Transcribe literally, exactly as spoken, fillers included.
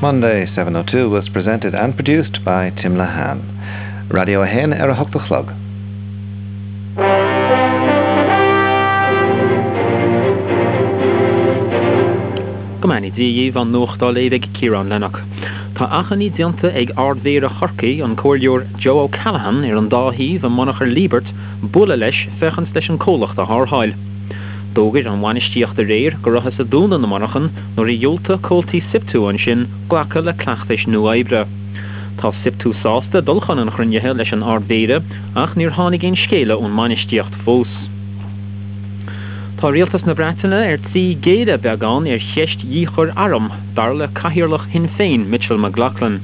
Monday seven oh two was presented and produced by Tim Lehane. Radio a haon ar a hocht a chlog. Go mbeannaí Dia dhaoibh, an nuacht á léamh ag Ciarán Lennox. Tá achainí déanta ag Ard-Mhéara Chorcaí, an Comhairleoir Joe O'Callaghan, ar an dá thaobh i monarcha Liebert bualadh leis féachaint leis an comhlacht a tharrtháil. D'fhógair an bhainistíocht aréir go rabhthas ag dúnadh na monarchan nuair a dhiúltaigh comhaltaí Siptu ansin glacadh le cleachtais nua oibre. Tá Siptu sásta dul chun an chruinnithe leis an Ard-Mhéara ach níor tháinig aon scéala ón mbainistíocht fós. Tá rialtas na Breataine ar tí géilleadh beagán ar cheist dhíchur arm, dar le cathaoirleach Shinn Féin Mitchell McLaughlin.